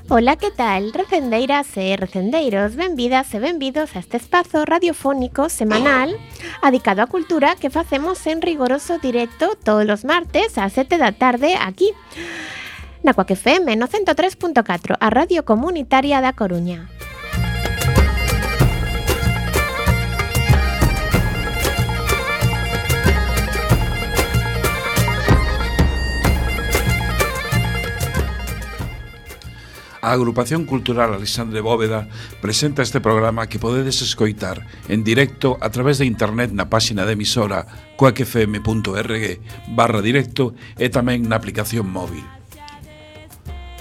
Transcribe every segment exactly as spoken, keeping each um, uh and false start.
Ola, que tal, recendeiras e recendeiros? Benvidas e benvidos a este espazo radiofónico semanal adicado á cultura que facemos en rigoroso directo todos os martes ás sete da tarde aquí na Cuac F M no ciento tres punto catro, a radio comunitaria da Coruña. A Agrupación Cultural Alexandre Bóveda presenta este programa que podedes escoitar en directo a través de internet na páxina de emisora cuacfm.org barra directo e tamén na aplicación móvil.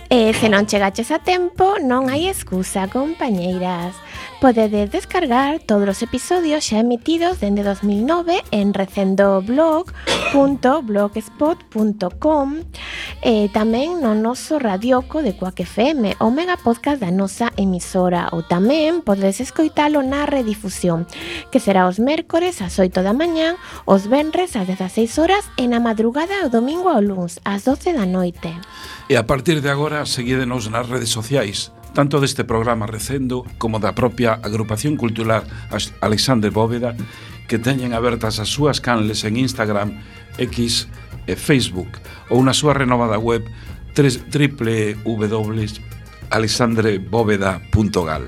E se non chegaches a tempo, non hai excusa, compañeiras. Podedes descargar todos os episodios xa emitidos dende dos mil nove en recendoblog punto blogspot punto com e tamén no noso radioco de Cuac F M, o mega podcast da nosa emisora, ou tamén podedes escoitalo na redifusión, que será os mércores ás oito da mañán, os venres ás dezaseis horas e na madrugada o domingo ao luns ás doce da noite. E a partir de agora, seguídenos nas redes sociais, tanto deste programa Recendo como da propia Agrupación Cultural Alexandre Bóveda, que teñen abertas as súas canles en Instagram, X e Facebook, ou na súa renovada web w w w punto alexandre bóveda punto gal.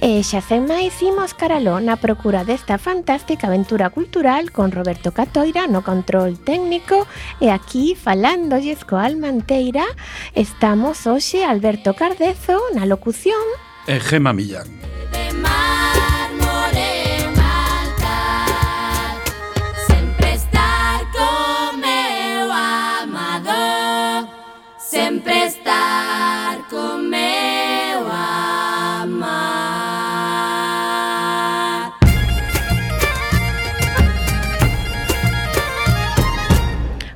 E xa sen máis, imos caraló na procura desta fantástica aventura cultural con Roberto Catoira no control técnico, e aquí falándolles coa alma enteira estamos hoxe Alberto Cardezo na locución e Gema Millán. Sempre estar con meu amar.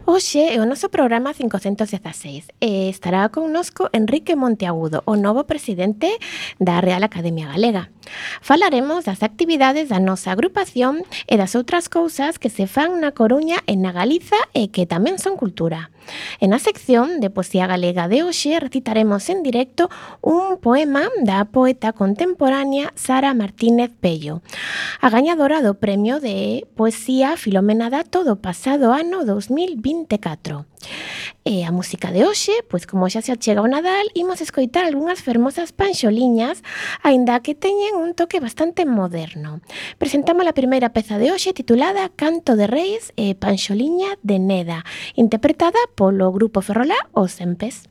Hoxe é o noso programa cincocentos dezaseis e estará connosco Enrique Monteagudo, o novo presidente da Real Academia Galega. Falaremos das actividades da nosa agrupación e das outras cousas que se fan na Coruña e na Galiza e que tamén son cultura. En a sección de Poesía Galega de hoxe recitaremos en directo un poema da poeta contemporánea Sara Martínez Pello, a gañadora do Premio de Poesía Filomena Dato do pasado ano dos mil vinte e catro. E a música de hoxe, pois como xa se achega o Nadal, imos escoitar algunhas fermosas panxoliñas, aínda que teñen un toque bastante moderno. Presentamos a primeira peza de hoxe titulada Canto de Reis e Panxoliña de Neda, interpretada polo grupo Ferrolá Os Empes.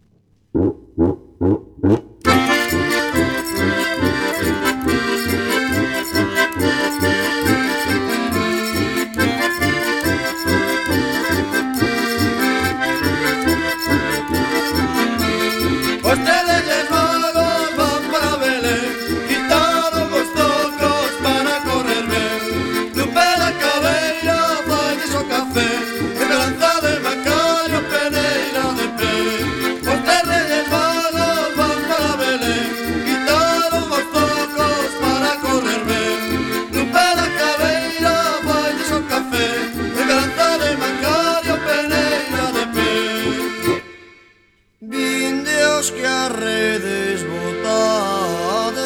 Que a redes botades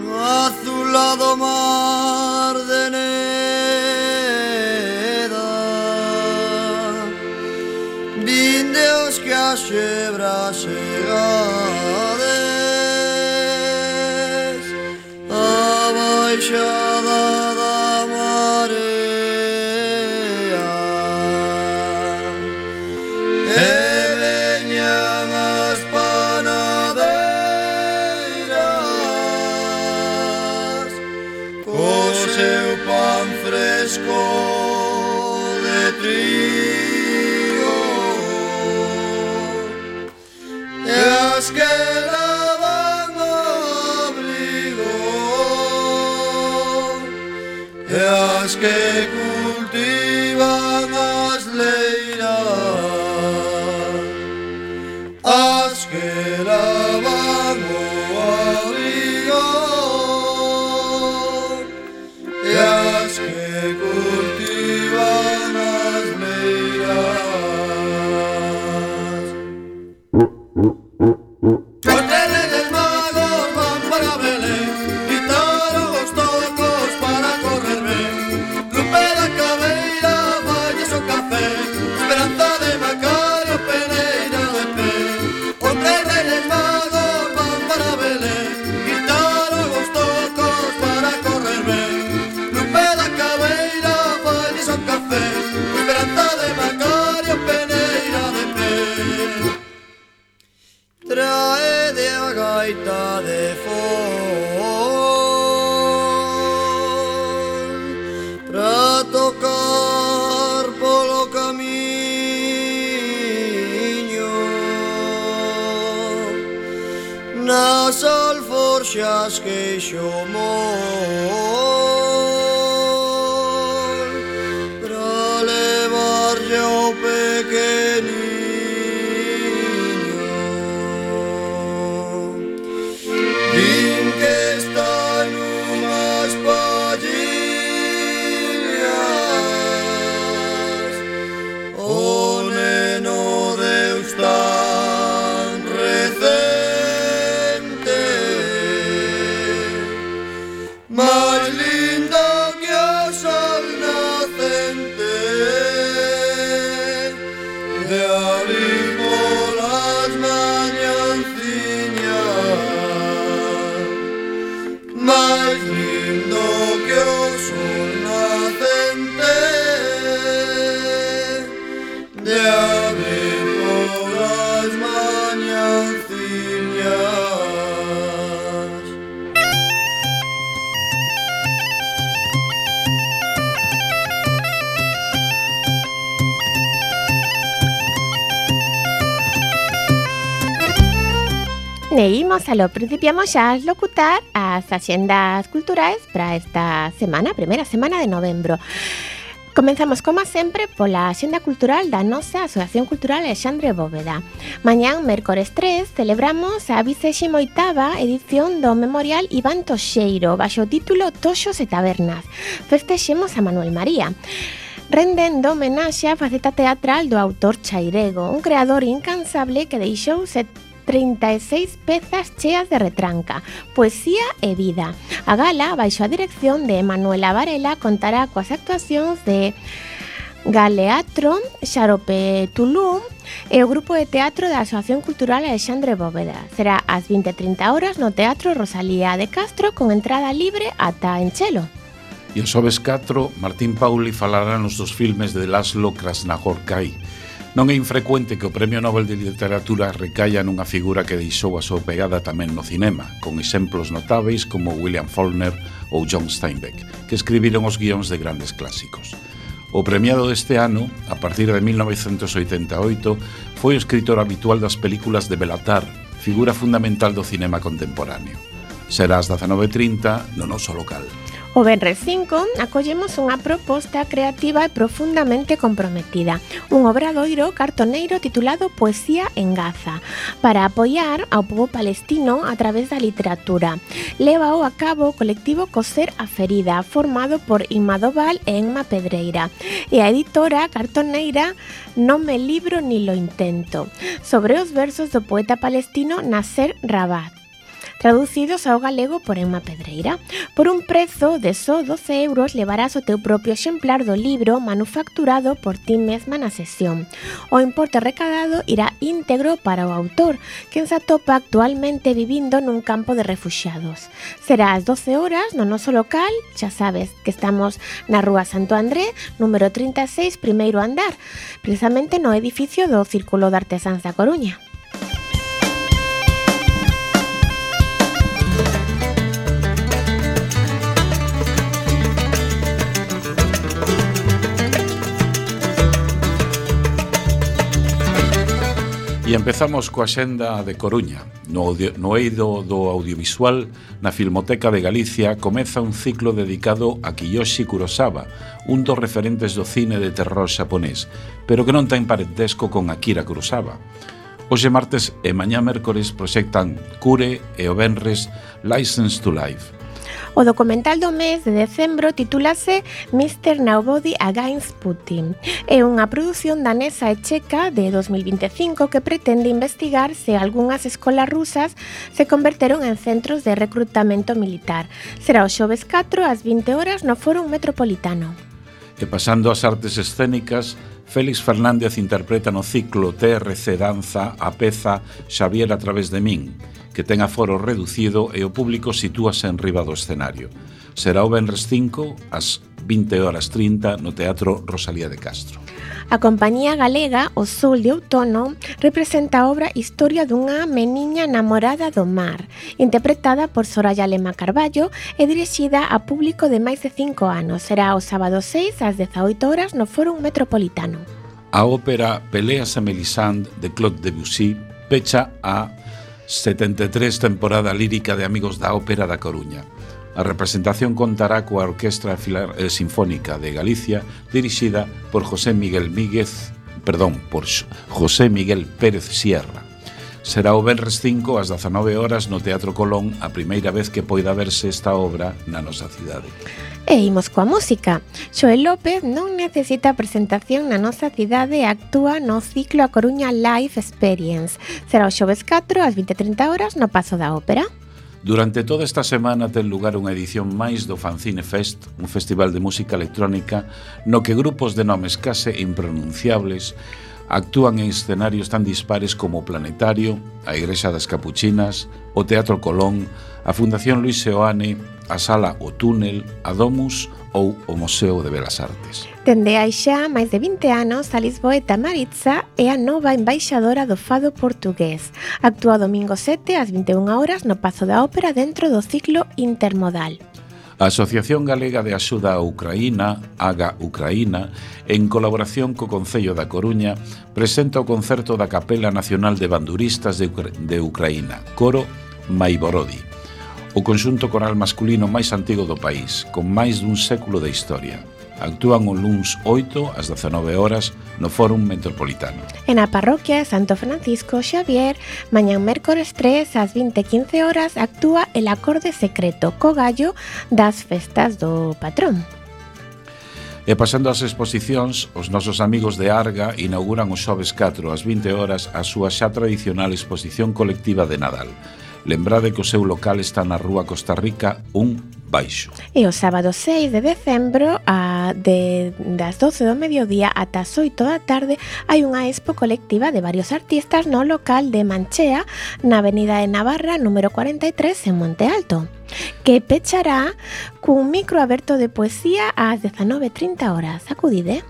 no azulado mar de Neda, vindeos que a xebra chegades a baixada da marea e de trigo e as que lavan o abrigo e as que cultivan as leiras, as que lavan o abrigo e as que cultivan as queixo moi pra levarlle ao pequeniño. Din que está nunhas pallillas o neno Deus tan recente, máis lindo que o sol nacente, de abrir polas mañanciñas, máis lindo que o sol nacente, de abrir polas mañanciñas. E imos a lo principiamos xa a locutar as axendas culturais para esta semana, primeira semana de novembro. Comenzamos, como sempre, pola axenda cultural da nosa Asociación Cultural Alexandre Bóveda. Mañán, mércores tres, celebramos a vigésima oitava edición do Memorial Iván Toxeiro, baixo o título Toxos e Tabernas. Festexemos a Manuel María, rendendo homenaxe á faceta teatral do autor Chairego, un creador incansable que deixou trinta e seis pezas cheas de retranca, poesía e vida. A gala, baixo a dirección de Manuela Varela, contará coas actuacións de Galeatro, Xarope Tulum e o grupo de teatro da Asociación Cultural Alexandre Bóveda. Será ás vinte e trinta horas no Teatro Rosalía de Castro, con entrada libre ata Enchelo. E o xoves catro, Martín Pauli falará nos dos filmes de Laszlo Krasznahorkai. Non é infrecuente que o Premio Nobel de Literatura recaia nunha figura que deixou a súa pegada tamén no cinema, con exemplos notáveis como William Faulkner ou John Steinbeck, que escribiron os guións de grandes clásicos. O premiado deste ano, a partir de mil novecentos oitenta e oito, foi o escritor habitual das películas de Belatar, figura fundamental do cinema contemporáneo. Será ás dezanove e trinta no noso local. O venres cinco acollemos unha proposta creativa e profundamente comprometida, un obradoiro cartoneiro titulado Poesía en Gaza, para apoiar ao pobo palestino a través da literatura. Lévao a cabo o colectivo Coser a Ferida, formado por Inma Doval e Enma Pedreira, e a editora cartoneira Non me libro ni lo intento, sobre os versos do poeta palestino Nasser Rabat, traducidos ao galego por Enma Pedreira. Por un prezo de só doce euros levarás o teu propio exemplar do libro manufacturado por ti mesma na sesión. O importe recadado irá íntegro para o autor, quen se atopa actualmente vivindo nun campo de refuxiados. Será ás doce horas no noso local, xa sabes que estamos na Rúa Santo André, número trinta e seis, primeiro andar, precisamente no edificio do Círculo de Artesáns da Coruña. E empezamos coa xenda de Coruña. No, audio, no eido do audiovisual, na Filmoteca de Galicia, comeza un ciclo dedicado a Kiyoshi Kurosawa, un dos referentes do cine de terror xaponés, pero que non ten parentesco con Akira Kurosawa. Hoxe martes e mañá mércores proxectan Cure e o venres License to Life. O documental do mes de decembro titúlase mister Nobody Against Putin. É unha produción danesa e checa de dos mil vinte e cinco que pretende investigar se algunhas escolas rusas se converteron en centros de recrutamento militar. Será o xoves catro ás vinte horas no Fórum Metropolitano. E pasando ás artes escénicas, Félix Fernández interpreta no ciclo T R C Danza a peza Xavier a través de min, que ten aforo reducido e o público sitúase en riba do escenario. Será o venres cinco ás vinte horas trinta no Teatro Rosalía de Castro. A compañía galega O Sol de Outono representa a obra Historia dunha meniña namorada do mar, interpretada por Soraya Lema Carballo e dirixida a público de máis de cinco anos. Será o sábado seis ás dezaoito horas no Fórum Metropolitano. A ópera Peleas a Melisande de Claude Debussy pecha a setenta e tres temporada lírica de Amigos da Ópera da Coruña. A representación contará coa Orquestra Filar eh, Sinfónica de Galicia, dirixida por José Miguel Míguez, perdón, por José Miguel Pérez Sierra. Será o venres cinco ás dezanove horas no Teatro Colón, a primeira vez que poida verse esta obra na nosa cidade. E imos coa música. Xoel López non necesita presentación na nosa cidade e actúa no ciclo A Coruña Live Experience. Será o xoves catro ás vinte e trinta horas no Pazo da Ópera. Durante toda esta semana ten lugar unha edición máis do Fanzine Fest, un festival de música electrónica no que grupos de nomes case impronunciables actúan en escenarios tan dispares como o Planetario, a Igrexa das Capuchinas, o Teatro Colón, a Fundación Luis Seoane, a Sala O Túnel, a Domus ou o Museo de Belas Artes. Dende hai xa máis de vinte anos, a Lisboeta Maritza é a nova embaixadora do fado portugués. Actúa domingo sete ás vinte e unha horas no Pazo da Ópera dentro do ciclo intermodal. A Asociación Galega de Axuda a Ucraína, AGA Ucraína, en colaboración co Concello da Coruña, presenta o concerto da Capela Nacional de Banduristas de, Ucra- de Ucraína, Coro Maivorodi, o conxunto coral masculino máis antigo do país, con máis dun século de historia. Actúan o luns oito ás dezanove horas no Fórum Metropolitano. E na parroquia de Santo Francisco Xavier, mañán mércores tres ás vinte e quince horas actúa el acorde secreto co gallo das festas do patrón. E pasando ás exposicións, os nosos amigos de Arga inauguran o xoves catro ás vinte horas a súa xa tradicional exposición colectiva de Nadal. Lembrade que o seu local está na Rúa Costa Rica un baixo. E o sábado seis de decembro, a de, das doce do mediodía ata as oito da tarde, hai unha expo colectiva de varios artistas no local de Manchea, na Avenida de Navarra, número cuarenta e tres, en Monte Alto, que pechará cun micro aberto de poesía ás dezanove e trinta horas. Acudide.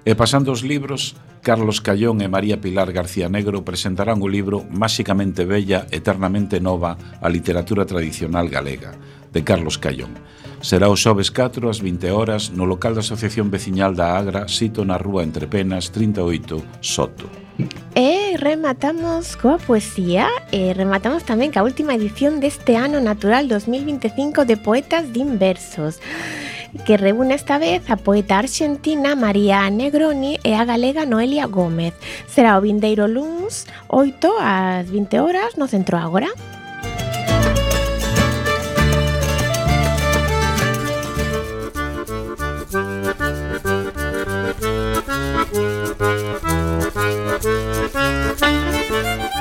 E pasando os libros, Carlos Callón e María Pilar García Negro presentarán o libro Máxicamente Bella, Eternamente Nova, a literatura tradicional galega, de Carlos Callón. Será o xoves catro ás vinte horas no local da Asociación Veciñal da Agra, sito na Rúa Entrepenas trinta e oito, Soto. E rematamos coa poesía e rematamos tamén ca última edición deste ano natural dos mil vinte e cinco de Poetas Din Versos, que reúne esta vez a poeta argentina María Negroni e a galega Noelia Gómez. Será o vindeiro luns oito ás vinte horas no Centro Ágora.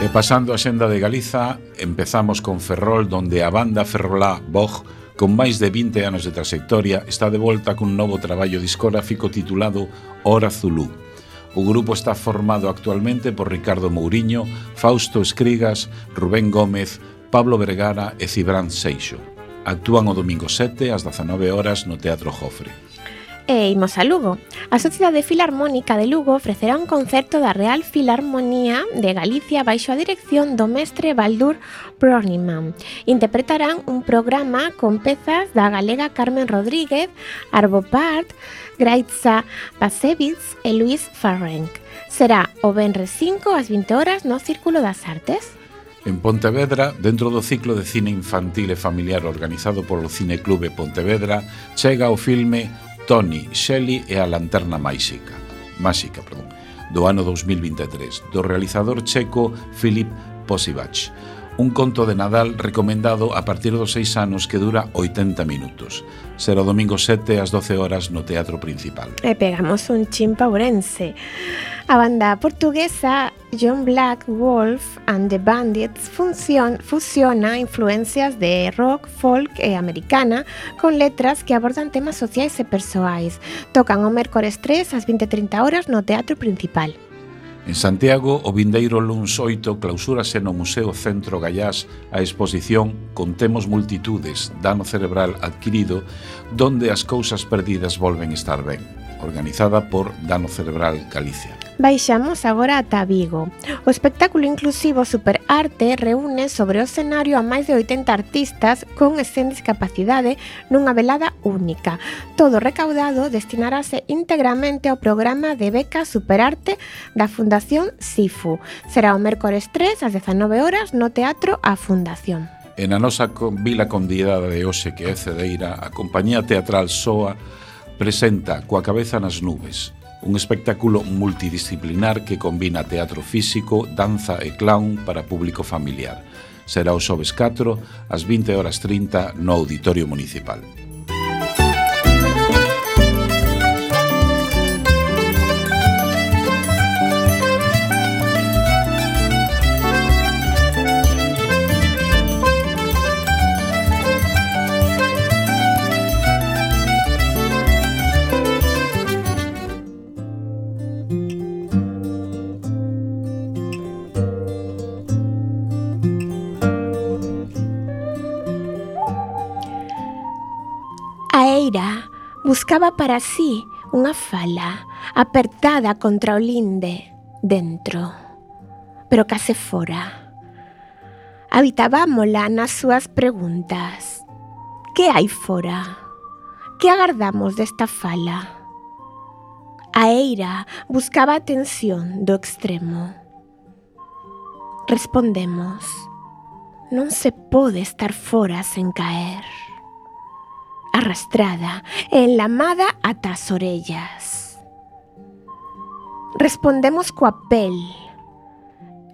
E pasando a senda de Galiza, empezamos con Ferrol, donde a banda Ferrolá Boj, con máis de vinte anos de trayectoria, está de volta cun novo traballo discográfico titulado Hora Zulú. O grupo está formado actualmente por Ricardo Mouriño, Fausto Escrigas, Rubén Gómez, Pablo Vergara e Cibrán Seixo. Actúan o domingo sete ás dezanove horas no Teatro Jofre. E imos a Lugo. A Sociedade Filarmónica de Lugo ofrecerá un concerto da Real Filarmonía de Galicia baixo a dirección do mestre Baldur Brogniman. Interpretarán un programa con pezas da galega Carmen Rodríguez, Arvo Part, Graitza Pasevitz e Luis Farrenc. Será o venres cinco ás vinte horas no Círculo das Artes. En Pontevedra, dentro do ciclo de cine infantil e familiar organizado polo Cineclube Pontevedra, chega o filme Tony, Shelley e a Lanterna Máxica, máxica, perdón, do ano dos mil vinte e tres, do realizador checo Filip Posivac. Un conto de Nadal recomendado a partir dos seis anos que dura oitenta minutos. Será o domingo sete ás doce horas no Teatro Principal. E pegamos un chin paurense. A banda portuguesa John Black Wolf and the Bandits funcion, fusiona influencias de rock, folk e americana con letras que abordan temas sociais e persoais. Tocan o mércores tres ás vinte e trinta horas no Teatro Principal. En Santiago, o vindeiro luns oito clausúrase no Museo Centro Gallás a exposición Contemos Multitudes, dano cerebral adquirido, donde as cousas perdidas volven estar ben, organizada por Dano Cerebral Galicia. Baixamos agora ata Vigo. O espectáculo inclusivo Superarte reúne sobre o escenario a máis de oitenta artistas con e sen discapacidade nunha velada única. Todo recaudado destinarase íntegramente ao programa de beca Superarte da Fundación SIFU. Será o mércores tres ás dezanove horas no Teatro A Fundación. E na nosa vila convidada de hoxe, que é Cedeira, a compañía teatral Soa presenta Coa cabeza nas nubes, un espectáculo multidisciplinar que combina teatro físico, danza e clown para público familiar. Será o xoves catro, ás vinte horas trinta, no Auditorio Municipal. Buscaba para sí unha fala apertada contra o linde dentro, pero case fora. Habitabámola nas súas preguntas. Que hai fora? Que agardamos desta fala? A eira buscaba a tensión do extremo. Respondemos: non se pode estar fora sen caer. Arrastrada e enlamada ata as orellas. Respondemos coa pel,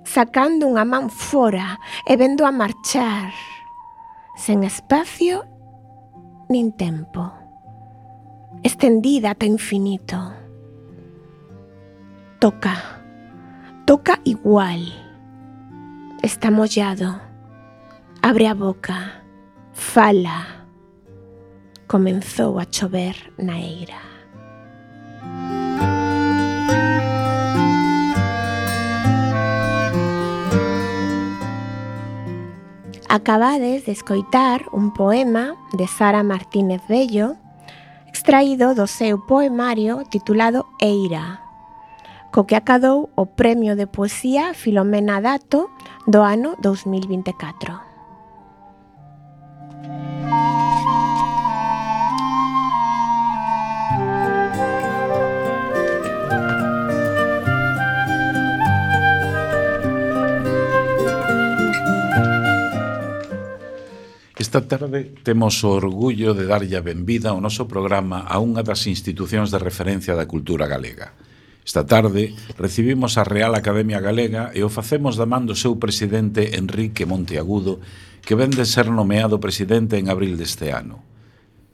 sacando unha man fora e vendo a marchar, sen espacio nin tempo, estendida ata infinito. Toca, toca igual. Está mollado, abre a boca, fala. Comenzou a chover na eira. Acabades de escoitar un poema de Sara Martínez Bello, extraído do seu poemario titulado Eira, co que acadou o Premio de Poesía Filomena Dato do ano dous mil vinte e catro. Esta tarde temos o orgullo de darlle a benvida ao noso programa a unha das institucións de referencia da cultura galega. Esta tarde recibimos a Real Academia Galega e o facemos da man do seu presidente Enrique Monteagudo, que ven de ser nomeado presidente en abril deste ano.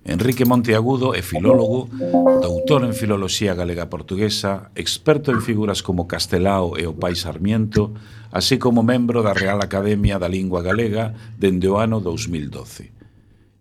Enrique Monteagudo é filólogo, doutor en Filoloxía Galega Portuguesa, experto en figuras como Castelao e o Pai Sarmiento, así como membro da Real Academia da Lingua Galega dende o ano dous mil doce.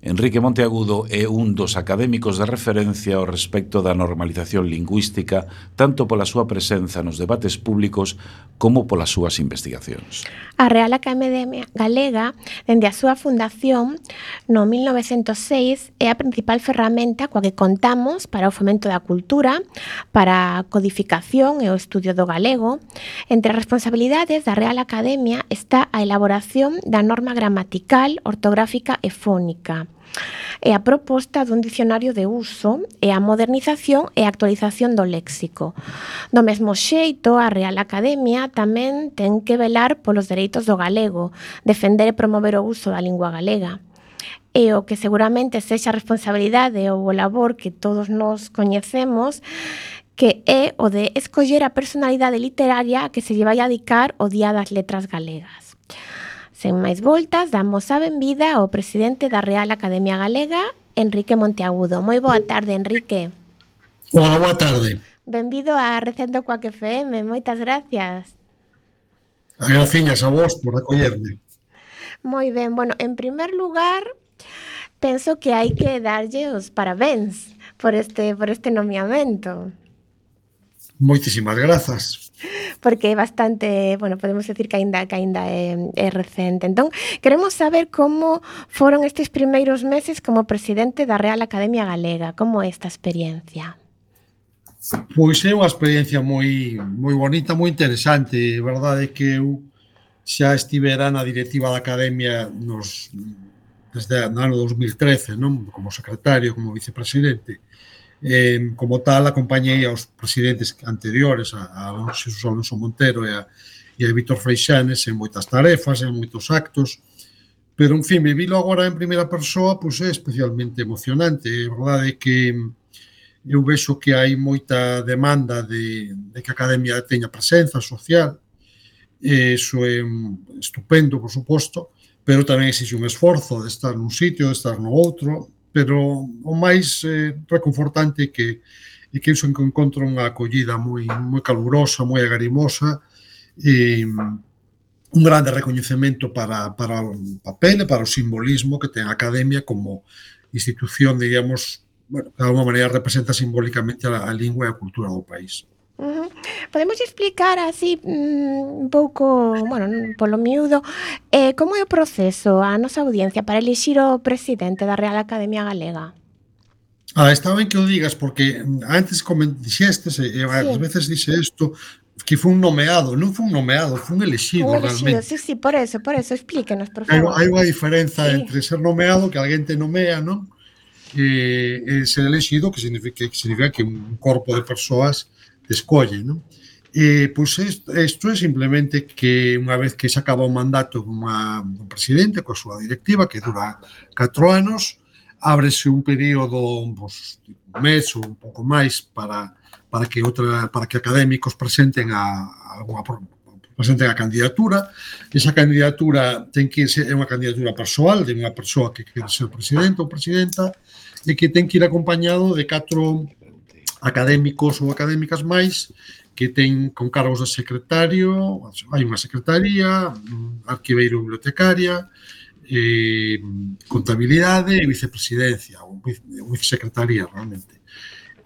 Enrique Monteagudo é un dos académicos de referencia ao respecto da normalización lingüística, tanto pola súa presenza nos debates públicos como polas súas investigacións. A Real Academia Galega, dende a súa fundación no mil novecentos seis, é a principal ferramenta coa que contamos para o fomento da cultura, para a codificación e o estudio do galego. Entre as responsabilidades da Real Academia está a elaboración da norma gramatical, ortográfica e fónica, e a proposta dun dicionario de uso e a modernización e actualización do léxico. Do mesmo xeito, a Real Academia tamén ten que velar polos dereitos do galego, defender e promover o uso da lingua galega. E o que seguramente sexa a responsabilidade ou o labor que todos nos coñecemos, que é o de escoller a personalidade literaria a que se lle vai a dedicar o Día das Letras Galegas. Sen máis voltas, damos a benvida ao presidente da Real Academia Galega, Enrique Monteagudo. Moi boa tarde, Enrique. Hola, boa tarde. Benvido a Recendo Coac F M, moitas gracias. Graciñas a vos por acollerme. Moi ben, bueno, en primer lugar, penso que hai que darlle os parabéns por este, por este nomeamento. Moitísimas grazas. Porque é bastante, bueno, podemos decir que ainda, que ainda é, é recente. Entón, queremos saber como foron estes primeiros meses como presidente da Real Academia Galega. Como é esta experiencia? Pois é unha experiencia moi moi bonita, moi interesante. A verdade é que eu xa estivera na directiva da Academia nos, desde o ano dos mil trece, non? Como secretario, como vicepresidente. Eh, como tal, acompañei aos presidentes anteriores, a, a Xesús Alonso Montero e a, e a Víctor Freixanes en moitas tarefas, en moitos actos, pero, en fin, vivilo agora en primeira persoa, pois é especialmente emocionante. A verdade é que eu vexo que hai moita demanda de, de que a Academia teña presenza social, e iso é estupendo, por suposto, pero tamén exixe un esforzo de estar nun sitio, de estar no outro, pero o máis eh, reconfortante é que, é que iso encontro unha acollida moi, moi calurosa, moi agarimosa, e un grande recoñecemento para, para o papel e para o simbolismo que ten a Academia como institución, digamos, bueno, de alguma maneira representa simbólicamente a, a lingua e a cultura do país. Uh -huh. Podemos explicar así un pouco, bueno, polo miúdo, eh, como é o proceso a nosa audiencia para elixir o presidente da Real Academia Galega? Ah, está ben que o digas, porque antes como dixestes, e sí. Ás veces dixe isto, que foi un nomeado, non foi un nomeado, foi un elexido, un elexido realmente. Sí, sí, por eso, por eso, explíquenos, por favor. Hai unha diferenza sí. entre ser nomeado, que alguén te nomea, non? E, e ser elexido, que significa, que significa que un corpo de persoas te escolle, non? E, pois, isto, isto é simplemente que unha vez que se acaba o mandato dun presidente coa súa directiva, que dura catro anos, ábrese un período, pois, un mes ou un pouco máis para, para que outra, para que académicos presenten a, a alguna presenten a candidatura. Esa candidatura ten que ser unha candidatura persoal de unha persoa que quere ser presidente ou presidenta e que ten que ir acompañado de catro académicos ou académicas máis que ten con cargos de secretario, hai unha secretaría, arquiveiro bibliotecaria, eh, contabilidade e vicepresidencia ou vicesecretaría realmente.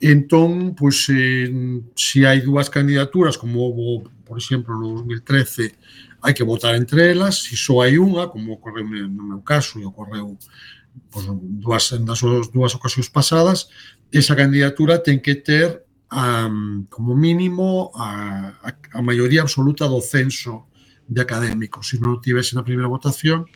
Entón, pois, eh, se hai dúas candidaturas, como houve, por exemplo, no dos mil trece, hai que votar entre elas. Se só hai unha, como ocorreu no meu caso e ocorreu pois, dúas, nas dúas ocasións pasadas, esa candidatura ten que ter um, como mínimo a, a, a maioría absoluta do censo de académicos. Se non tivese na primeira votación,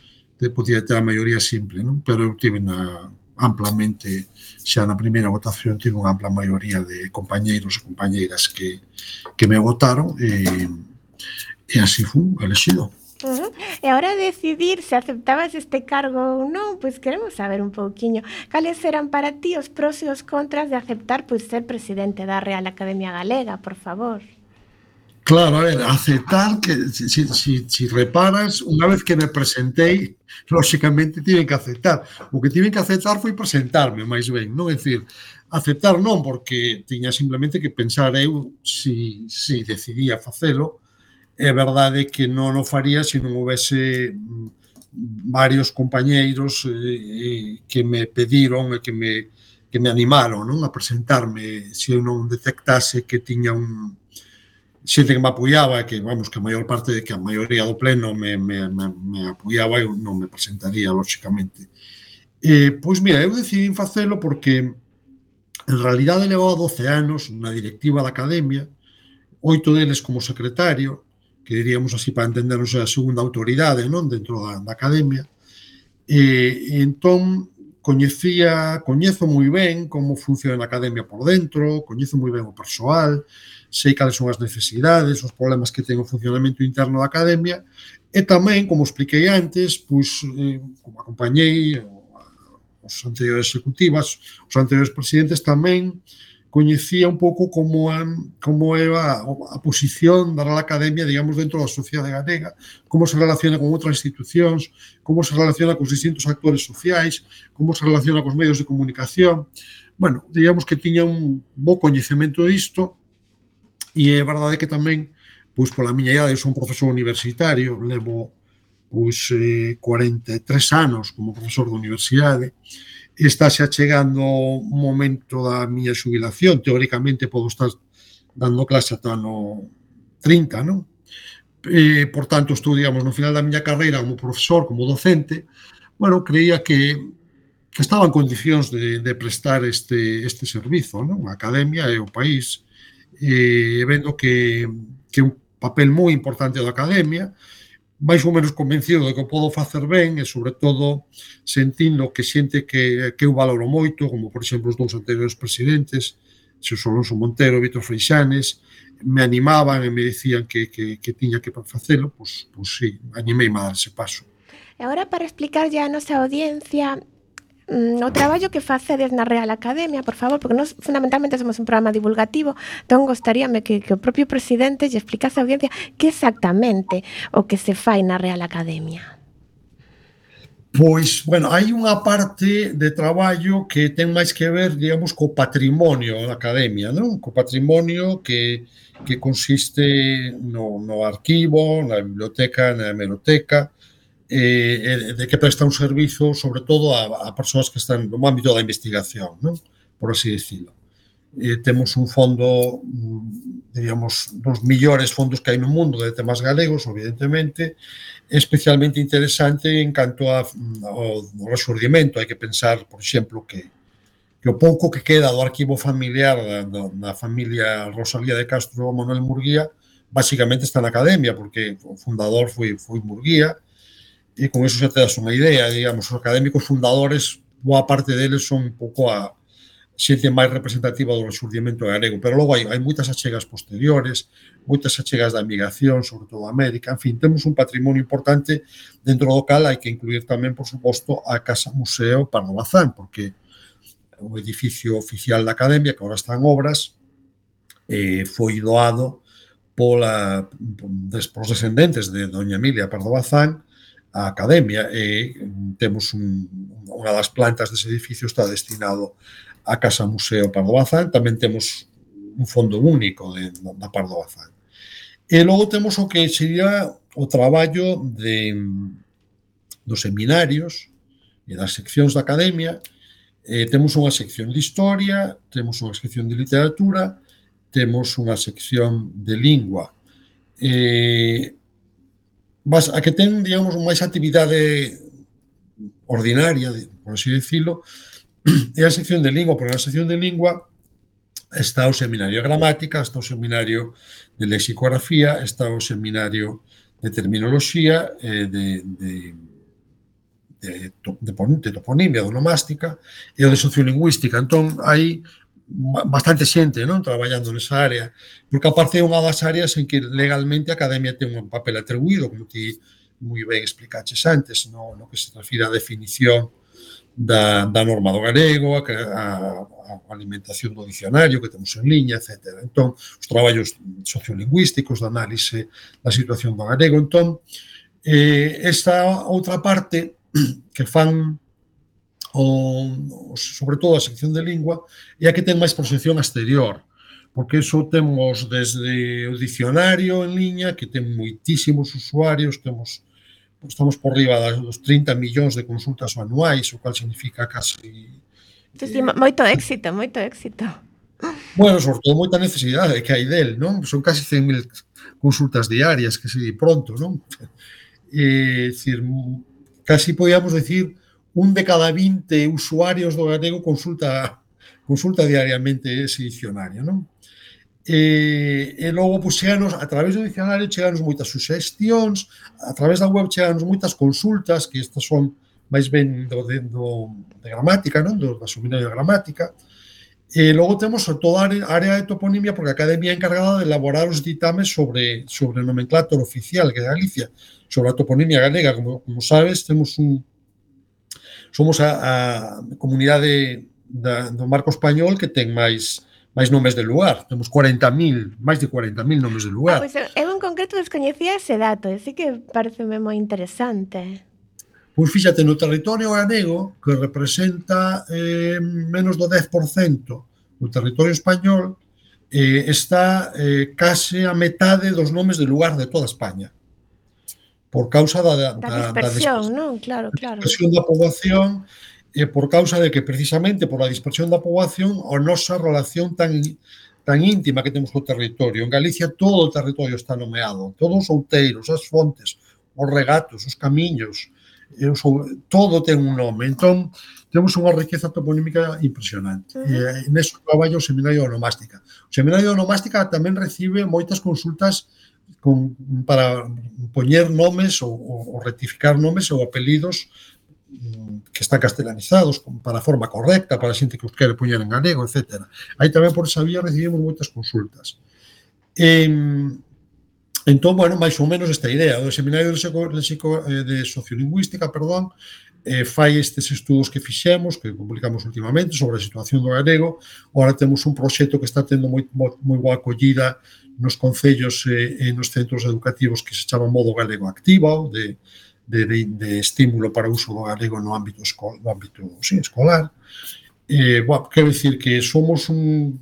podía ter a maioría simple, non? Pero eu tive na, amplamente, xa na primeira votación, tive unha ampla maioría de compañeiros e compañeiras que, que me votaron e, e así fui elegido. Uh -huh. E ahora decidir se aceptabas este cargo ou non, pois queremos saber un pouquiño cales eran para ti os pros e os contras de aceptar pois ser presidente da Real Academia Galega, por favor. Claro, a ver, aceptar que, si, si, si reparas, unha vez que me presentei, lóxicamente tiven que aceptar. O que tiven que aceptar foi presentarme, máis ben, non? É dicir, aceptar non, porque tiña simplemente que pensar eu si, si decidía facelo. É verdade que non o faría se non houvese varios compañeiros eh, que me pediron e que me, que me animaron, non, a presentarme se eu non detectase que tiña un xente que me apoiaba, que, vamos, que a maior parte de que a maioría do pleno me, me, me, me apoiaba, eu non me presentaría, lóxicamente. Eh, pois, mira, eu decidí facelo porque en realidade levaba doce anos na directiva da Academia, oito deles como secretario, que diríamos así para entendernos a segunda autoridade, non, dentro da, da Academia. E, e entón coñecía, coñezo moi ben como funciona a Academia por dentro, coñezo moi ben o persoal, sei cales son as necesidades, os problemas que ten o funcionamento interno da Academia, e tamén, como expliquei antes, pois, eh, como acompañei os anteriores executivas, os anteriores presidentes, tamén coñecía un pouco como, a, como é a, a posición da Real Academia, digamos, dentro da sociedade galega, como se relaciona con outras institucións, como se relaciona cos distintos actores sociais, como se relaciona cos medios de comunicación. Bueno, digamos que tiña un bo coñecemento disto, e é verdade que tamén, pois, pola miña idade, eu son profesor universitario, levo, pois, eh, cuarenta e tres anos como profesor da universidade, está xa chegando o momento da miña xubilación, teóricamente podo estar dando clase ata no trinta, non? E, por tanto, estou, digamos, no final da miña carreira como profesor, como docente, bueno, creía que, que estaba en condicións de, de prestar este, este servizo, non? A Academia e o país, e vendo que, que un papel moi importante da academia, máis ou menos convencido de que o podo facer ben e, sobre todo, sentindo que xente que, que eu valoro moito, como, por exemplo, os dous anteriores presidentes, Xosé Alonso Montero e Vítor Freixanes, me animaban e me dicían que, que, que tiña que facelo, pois, pois sí, animei a dar ese paso. E agora, para explicarlle a nosa audiencia mm, o traballo que facedes na Real Academia, por favor, porque nós fundamentalmente somos un programa divulgativo, entón gostaríame que, que o propio presidente lle explicase á audiencia que exactamente o que se fai na Real Academia. Pois, bueno, hai unha parte de traballo que ten máis que ver, digamos, co patrimonio da academia, non? Co patrimonio que, que consiste no, no arquivo, na biblioteca, na hemeroteca, eh, de que presta un servizo, sobre todo, a, a persoas que están no ámbito da investigación, non? Por así decirlo. Eh, temos un fondo, digamos, dos millores fondos que hai no mundo de temas galegos, evidentemente, especialmente interesante en canto a, ao, ao resurdimento. Hai que pensar, por exemplo, que, que o pouco que queda do arquivo familiar da, da familia Rosalía de Castro Manuel Murguía basicamente está na academia, porque o fundador foi, foi Murguía, e con eso xa te das unha idea, digamos, os académicos fundadores, boa parte deles son un pouco a xente máis representativa do resurdimento galego, pero logo hai, hai moitas achegas posteriores, moitas achegas da migración, sobre todo a América, en fin, temos un patrimonio importante dentro do cal hai que incluir tamén, por suposto, a Casa Museo Pardo Bazán, porque o edificio oficial da Academia, que agora está en obras, eh, foi doado pola, polos descendentes de doña Emilia Pardo Bazán a Academia, e temos un, unha das plantas dese edificio está destinado a Casa Museo Pardo Bazán, tamén temos un fondo único de, da Pardo Bazán. E logo temos o que sería o traballo de, dos seminarios e das seccións da academia. Eh, temos unha sección de historia, temos unha sección de literatura, temos unha sección de lingua. Eh, a que ten, digamos, máis actividade ordinaria, por así decirlo, é a sección de lingua, porque na sección de lingua está o seminario de gramática, está o seminario de lexicografía, está o seminario de terminoloxía, eh, de, de, de, de, de toponimia, de onomástica, e o de sociolingüística. Entón, hai bastante xente, non, traballando nesa área, porque aparte é unha das áreas en que legalmente a academia ten un papel atribuído, como ti moi ben explicaches antes, no, no que se refira a definición Da, da norma do galego, a, a, a alimentación do dicionario que temos en liña, etcétera. Entón, os traballos sociolingüísticos, de análise da situación do galego. Entón, eh, esta outra parte que fan o, sobre todo a sección de lingua é a que ten máis proxección exterior, porque iso temos desde o dicionario en liña, que ten moitísimos usuarios, temos estamos por riba dos trinta millóns de consultas anuais, o cual significa casi... Sí, sí, moito éxito, moito éxito. Bueno, sobre todo moita necesidade que hai del, non? Son casi cen mil consultas diarias, que se di pronto, non? É dicir, casi podíamos decir un de cada vinte usuarios do galego consulta consulta diariamente ese dicionario, non? E, e logo, pois, cheganos, a través do dicionario, cheganos moitas suxestións, a través da web cheganos moitas consultas, que estas son máis ben do, de, do, de gramática, non? Do, da seminario de gramática. E logo temos toda a área de toponimia, porque a academia é encargada de elaborar os ditames sobre, sobre o nomenclátor oficial que é Galicia, sobre a toponimia galega. Como, como sabes, temos un... Somos a, a comunidade da, do marco español que ten máis... máis nomes de lugar. Temos cuarenta mil, máis de cuarenta mil nomes de lugar. Ah, pois eu en concreto descoñecía ese dato, e sí que pareceme moi interesante. Pois fíxate, no territorio galego, que representa eh, menos do dez por cento do territorio español, eh, está eh, case a metade dos nomes de lugar de toda España. Por causa da, da, da dispersión, da non? Claro, claro. dispersión da poboación, e por causa de que, precisamente, por a dispersión da poboación, a nosa relación tan, tan íntima que temos co territorio. En Galicia todo o territorio está nomeado, todos os outeiros, as fontes, os regatos, os camiños, eu son, todo ten un nome. Entón, temos unha riqueza toponímica impresionante. Uh -huh. E neso traballo o Seminario de Onomástica. O Seminario de Onomástica tamén recibe moitas consultas con, para poñer nomes ou, ou rectificar nomes ou apelidos que están castelanizados para a forma correcta, para a xente que os quere poñer en galego, etcétera. Aí tamén por esa vía recibimos moitas consultas. E, entón, bueno, máis ou menos esta idea. O Seminario de, de Sociolingüística, perdón, eh, fai estes estudos que fixemos, que publicamos últimamente, sobre a situación do galego. Agora temos un proxecto que está tendo moi, moi boa acollida nos concellos e, e nos centros educativos que se chama Modo Galego Activa, de De, de, de estímulo para o uso do galego no ámbito, esco, no ámbito sí, escolar. Eh, bueno, quero dicir que somos un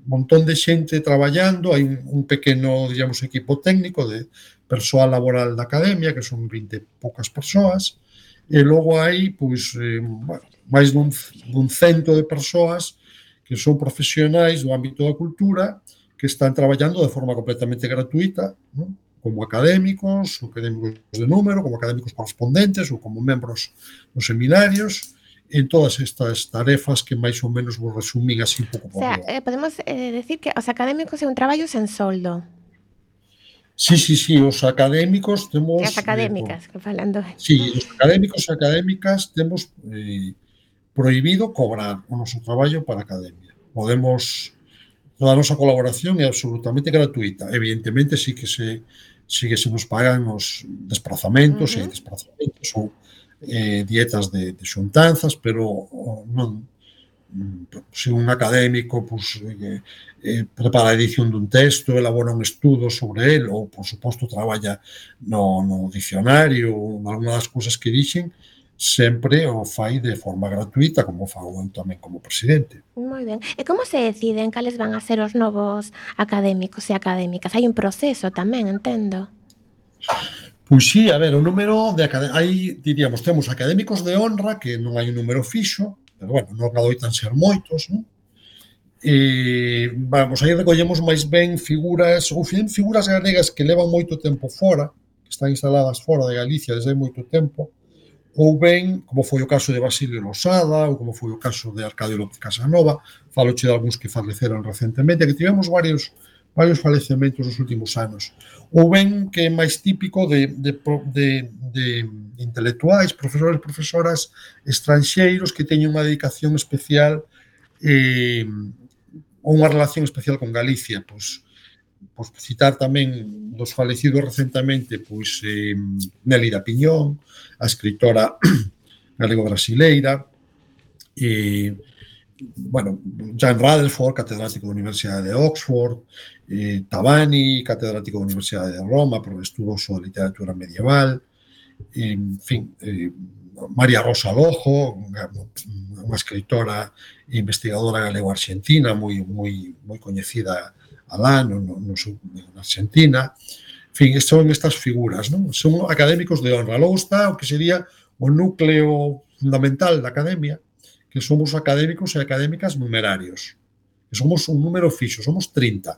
montón de xente traballando, hai un, un pequeno, digamos, equipo técnico de persoal laboral da academia, que son vinte poucas persoas, e logo hai, pois, eh, bueno, máis dun, dun cento de persoas que son profesionais do ámbito da cultura que están traballando de forma completamente gratuita, non? Como académicos, ou académicos de número, como académicos correspondentes ou como membros nos seminarios, en todas estas tarefas que máis ou menos vos resumín así un pouco por O sea, eh, podemos eh, decir que os académicos é un traballo sen soldo. Sí, sí, sí, os académicos temos... As académicas, eh, que falando... Sí, os académicos e académicas temos eh, prohibido cobrar o noso traballo para a academia. Podemos... Toda a nosa colaboración é absolutamente gratuita. Evidentemente, sí que se sí que se nos pagan os desplazamentos uh -huh. e desplazamentos ou eh, dietas de, de xuntanzas, pero non, se un académico pues, eh, eh, prepara a edición dun texto, elabora un estudo sobre el, ou, por suposto, traballa no, no dicionario, ou alguna das cousas que dixen, sempre o fai de forma gratuita, como fago eu tamén como presidente. Moi ben. E como se deciden cales van a ser os novos académicos e académicas? Hai un proceso tamén, entendo. Pois sí, a ver, o número de académicos, aí diríamos, temos académicos de honra, que non hai un número fixo, pero bueno, non adoitan ser moitos, non? E, vamos, aí recollemos máis ben figuras, ou figuras galegas que levan moito tempo fora, que están instaladas fora de Galicia desde hai moito tempo, ou ben, como foi o caso de Basilio Losada, ou como foi o caso de Arcadio López Casanova, faloche de algúns que faleceron recentemente, que tivemos varios, varios falecementos nos últimos anos. Ou ben, que é máis típico de, de, de, de intelectuais, profesores, profesoras estranxeiros que teñen unha dedicación especial eh, ou unha relación especial con Galicia, pois, pois citar tamén dos falecidos recentemente, pois eh, Nélida Piñón, a escritora galego-brasileira, e, bueno, Jan Rutherford, catedrático da Universidade de Oxford, eh, Tabani, catedrático da Universidade de Roma, por estudos sobre literatura medieval, e, en fin, eh, María Rosa Lojo, unha escritora e investigadora galego-argentina moi, moi, moi coñecida alá no, no, no, na Argentina. En fin, son estas figuras, non? Son académicos de honra. Logo está o que sería o núcleo fundamental da academia, que somos académicos e académicas numerarios. Que somos un número fixo, somos trinta.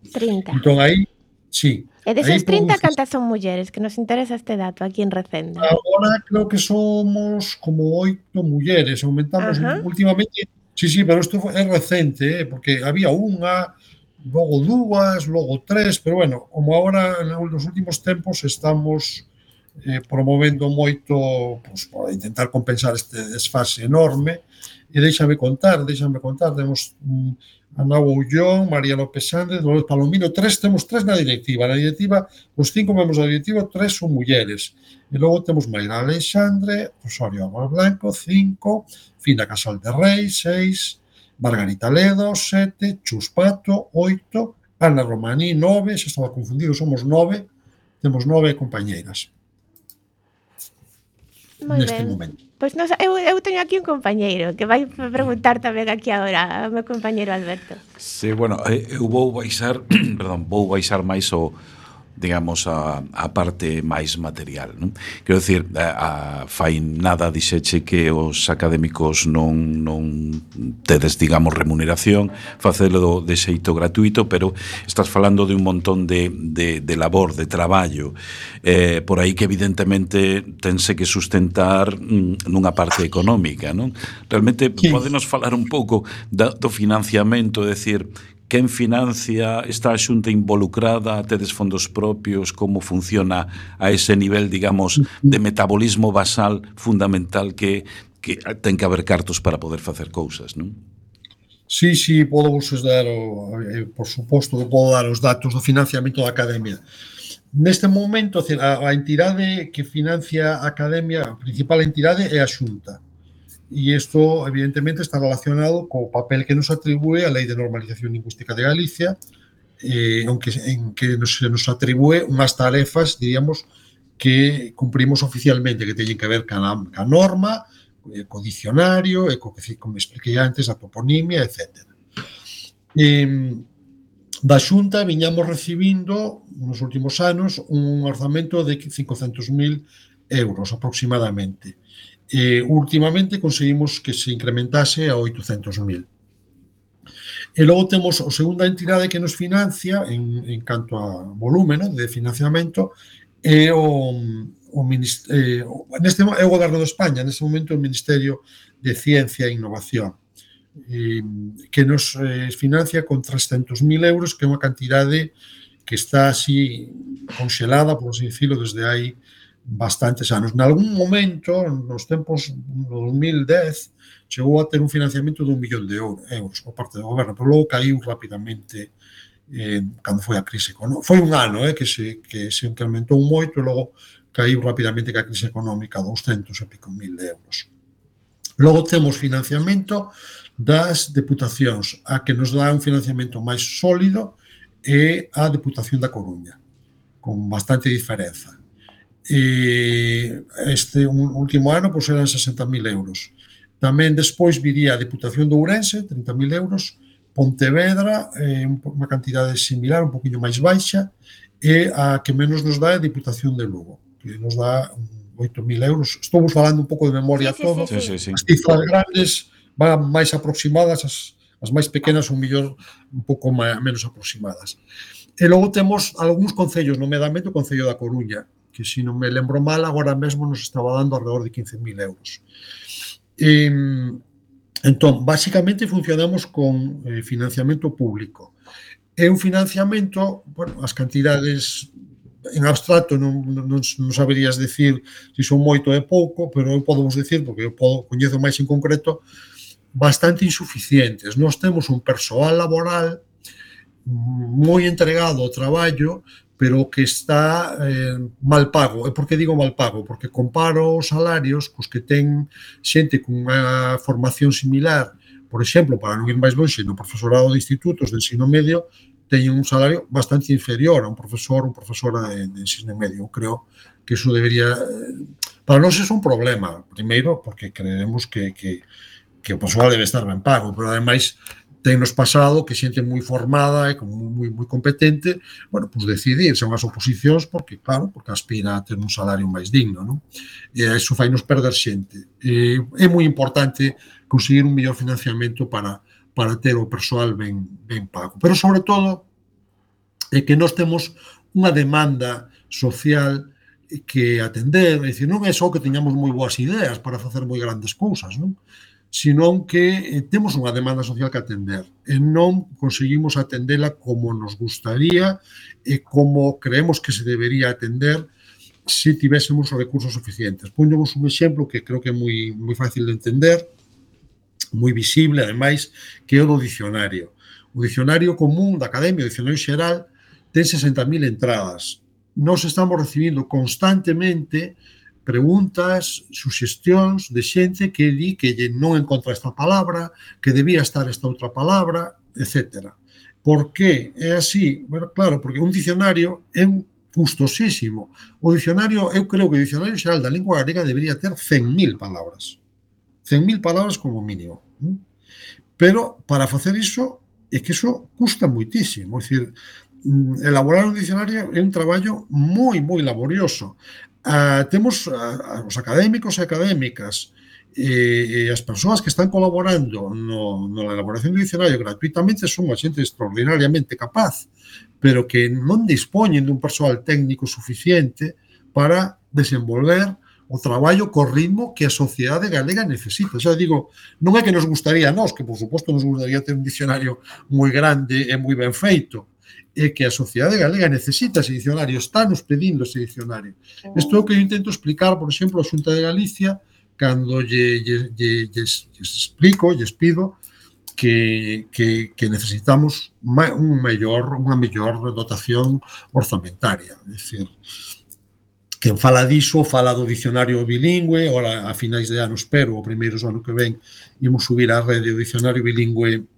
trinta. Entón, aí, sí. E deses trinta, cantas son mulleres? Que nos interesa este dato aquí en Recendo. Agora creo que somos como oito mulleres. Aumentamos uh-huh. últimamente. Sí, sí, pero isto é recente, eh, porque había unha, logo dúas, logo tres, pero bueno, como agora nos últimos tempos estamos eh, promovendo moito pues, para intentar compensar este desfase enorme, e déixame contar, déixame contar, temos um, Ana Boullón, María López Sández, Dolores Palomino, tres, temos tres na directiva, na directiva, os cinco membros da directiva, tres son mulleres, e logo temos Mayra Alexandre, Osorio Álvaro Blanco, cinco, Fina Casal de Rei, seis, Margarita Ledo, sete, Chus Pato, oito, Ana Romaní, nove, xa estaba confundido, somos nove, temos nove compañeiras. Moi neste ben. Momento. Pois nos, eu, eu teño aquí un compañeiro que vai preguntar tamén aquí agora, o meu compañeiro Alberto. Sí, bueno, eu vou baixar, perdón, vou baixar máis o digamos, a, a parte máis material, non? Quero dicir, a, a fai nada dixeche que os académicos non, non tedes, digamos, remuneración, facelo de xeito gratuito, pero estás falando de un montón de, de, de labor, de traballo, eh, por aí que evidentemente tense que sustentar mm, nunha parte económica, non? Realmente, sí. Podenos falar un pouco da, do financiamento, é dicir, quen financia, está a Xunta involucrada, tedes fondos propios, como funciona a ese nivel, digamos, de metabolismo basal fundamental que, que ten que haber cartos para poder facer cousas, non? Sí, sí, podo vos dar, o, eh, por suposto, que podo dar os datos do financiamento da Academia. Neste momento, a, a entidade que financia a Academia, a principal entidade é a Xunta. E isto, evidentemente, está relacionado co papel que nos atribúe a Lei de Normalización Lingüística de Galicia, eh, aunque en que nos, nos atribúe unhas tarefas, diríamos, que cumprimos oficialmente, que teñen que ver ca, ca norma, eh, co dicionario, e co que, como expliquei antes, a toponimia, etcétera. Eh, da Xunta viñamos recibindo, nos últimos anos, un orzamento de cincocentos mil euros aproximadamente. Eh, últimamente conseguimos que se incrementase a oitocentos mil. E logo temos a segunda entidade que nos financia en, en canto a volumen, ¿no?, de financiamento é o, o, eh, neste, é o Goberno de España, neste momento o Ministerio de Ciencia e Innovación, eh, que nos eh, financia con trescentos mil euros, que é unha cantidade que está así conxelada, por así decirlo, desde hai bastantes anos. Nalgún momento, nos tempos do dos mil dez, chegou a ter un financiamento de un millón de euros por parte do goberno, pero logo caiu rapidamente eh, cando foi a crise económica. Foi un ano eh, que, se, que se incrementou moito e logo caiu rapidamente ca crise económica, douscentos e pico mil euros. Logo temos financiamento das deputacións. A que nos dá un financiamento máis sólido é a Deputación da Coruña, con bastante diferenza. E este un último ano pois eran sesenta mil euros. Tamén despois viría a Deputación de Ourense, trinta mil euros, Pontevedra, eh, unha cantidade similar, un poquinho máis baixa, e a que menos nos dá é a Deputación de Lugo, que nos dá oito mil euros. Estou falando un pouco de memoria sí, sí, todo. sí, sí, sí. As cifras grandes van máis aproximadas, as, as máis pequenas son mellor un pouco máis, menos aproximadas. E logo temos algúns concellos, nomeadamente o Concello da Coruña, que se non me lembro mal, agora mesmo nos estaba dando alrededor de quince mil euros. E, entón, basicamente funcionamos con eh, financiamento público. É un financiamento, bueno, as cantidades en abstracto non, non, non saberías decir se son moito ou pouco, pero eu podo vos decir, porque eu podo, coñezo máis en concreto, bastante insuficientes. Nós temos un persoal laboral moi entregado ao traballo, pero que está eh, mal pago. E por que digo mal pago? Porque comparo os salarios cos que ten xente con unha formación similar, por exemplo, para non ir máis longe, no profesorado de institutos de ensino medio, teñen un salario bastante inferior a un profesor ou profesora de, de ensino medio. Eu creo que iso debería... Para nós é un problema, primeiro, porque creemos que, que, que o persoal debe estar ben pago, pero ademais tennos pasado que xente moi formada e como moi, moi competente, bueno, pues decidir, son as oposicións porque, claro, porque aspira a ter un salario máis digno, non? E iso fai nos perder xente. E é moi importante conseguir un mellor financiamento para, para ter o persoal ben, ben pago. Pero, sobre todo, é que nós temos unha demanda social que atender, é dicir, non é só que teñamos moi boas ideas para facer moi grandes cousas, non? Senón que eh, temos unha demanda social que atender e non conseguimos atendela como nos gustaría e como creemos que se debería atender se tivésemos os recursos suficientes. Póñemos un exemplo que creo que é moi, moi fácil de entender, moi visible, ademais, que é o do dicionario. O dicionario común da Academia, o dicionario xeral, ten sesenta mil entradas. Nós estamos recibindo constantemente preguntas, suxestións de xente que di que non encontra esta palabra, que debía estar esta outra palabra, etcétera. Por que é así? Bueno, claro, porque un dicionario é custosísimo. O dicionario, eu creo que o dicionario xeral da lingua galega debería ter cen mil palabras. cen mil palabras como mínimo. Pero para facer iso, é que iso custa moitísimo. É dicir, elaborar un dicionario é un traballo moi, moi laborioso. Uh, temos uh, os académicos e académicas e, e as persoas que están colaborando no, na elaboración do dicionario gratuitamente son unha xente extraordinariamente capaz, pero que non dispoñen dun persoal técnico suficiente para desenvolver o traballo co ritmo que a sociedade galega necesita. Xa digo, non é que nos gustaría a nós, que por suposto nos gustaría ter un dicionario moi grande e moi ben feito, é que a sociedade galega necesita ese dicionario, está nos pedindo ese dicionario. Isto é o que eu intento explicar, por exemplo, a Xunta de Galicia, cando lle, lle, lle, lles, lles explico, lles pido que, que, que necesitamos un mellor, unha mellor dotación orzamentaria. É dicir, quen fala diso, fala do dicionario bilingüe, ora, a finais de ano, espero, o primeiro ano que ven, imos subir á rede o dicionario bilingüe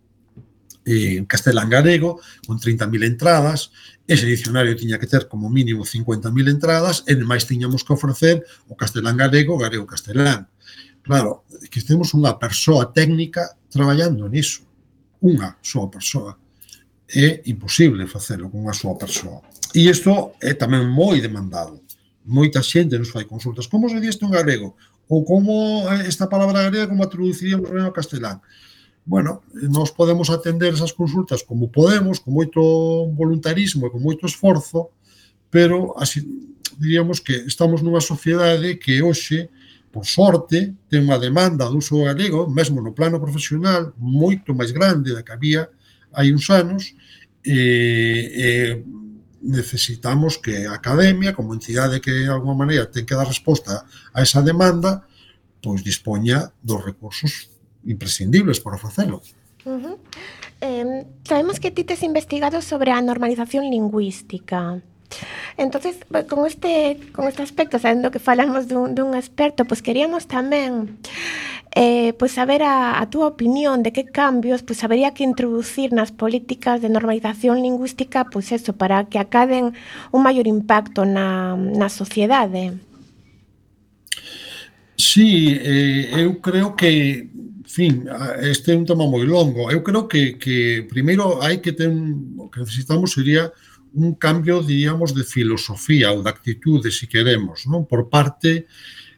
en castelán-galego, con trinta mil entradas. Ese dicionario tiña que ter como mínimo cincuenta mil entradas, e máis tiñamos que ofrecer o castelán-galego, galego-castelán. Claro, que temos unha persoa técnica traballando niso. Unha soa persoa. É imposible facelo con unha soa persoa. E isto é tamén moi demandado. Moita xente nos fai consultas. Como se di isto en galego? Ou como esta palabra galega, como a traduciríamos ben ao castelán? Bueno, nós podemos atender esas consultas como podemos, con moito voluntarismo e con moito esforzo, pero así diríamos que estamos nunha sociedade que hoxe, por sorte, ten unha demanda do uso galego, mesmo no plano profesional, moito máis grande da que había hai uns anos, e, e necesitamos que a academia, como entidade que de alguma maneira ten que dar resposta a esa demanda, pois dispoña dos recursos imprescindibles para facelo. Uh-huh. Eh, sabemos que ti tes investigado sobre a normalización lingüística. Entonces, con este, con este aspecto, sabendo que falamos dun, dun experto, pues queríamos tamén eh, pues saber a, a túa opinión de que cambios pues habería que introducir nas políticas de normalización lingüística, pues eso, para que acaden un maior impacto na, na sociedade. Sí, eh, eu creo que fin, este é un tema moi longo. Eu creo que, que primeiro hai que ter un, o que necesitamos sería un cambio, diríamos, de filosofía ou de actitude, se queremos, non? Por parte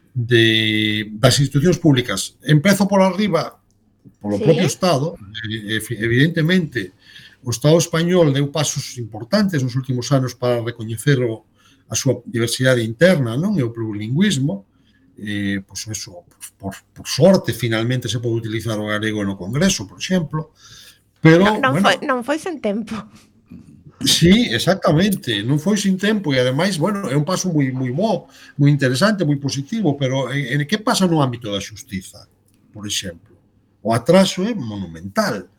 de, das institucións públicas. Empezo por arriba, polo sí. propio Estado. Evidentemente, o Estado español deu pasos importantes nos últimos anos para recoñecer o, a súa diversidade interna, non? E o plurilingüismo. Eh, pois pues eso, por, por sorte finalmente se pode utilizar o galego no Congreso, por exemplo, pero non, non, bueno, foi, non foi sen tempo. Sí, exactamente, non foi sin tempo e ademais, bueno, é un paso moi moi bo, moi interesante, moi positivo, pero en, en que pasa no ámbito da xustiza, por exemplo? O atraso é monumental.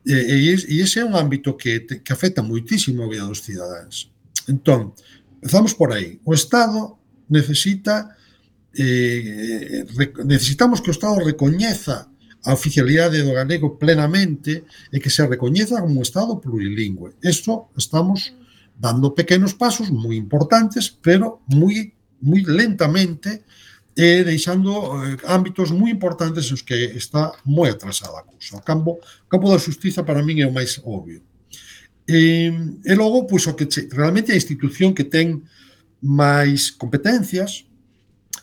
E, e, e ese é un ámbito que, que afecta moitísimo a vida dos cidadáns. Entón, empezamos por aí. O Estado necesita Eh, necesitamos que o Estado recoñeza a oficialidade do galego plenamente e que se recoñeza como un Estado plurilingüe. Isto estamos dando pequenos pasos moi importantes, pero moi, moi lentamente e deixando eh, ámbitos moi importantes os que está moi atrasada a cousa. O campo, o campo da xustiza para min é o máis obvio. E, e logo, pois, o que realmente a institución que ten máis competencias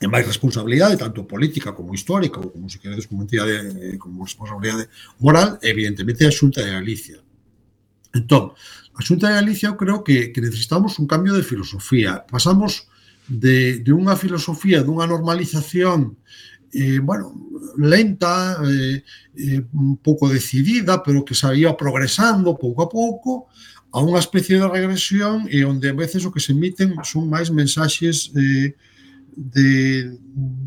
e máis responsabilidade, tanto política como histórica, ou como se queredes como entidade, como responsabilidade moral, evidentemente a Xunta de Galicia. Entón, a Xunta de Galicia eu creo que, que necesitamos un cambio de filosofía. Pasamos de, de unha filosofía, dunha normalización eh, bueno, lenta, eh, eh, un pouco decidida, pero que se iba progresando pouco a pouco, a unha especie de regresión e onde a veces o que se emiten son máis mensaxes eh, de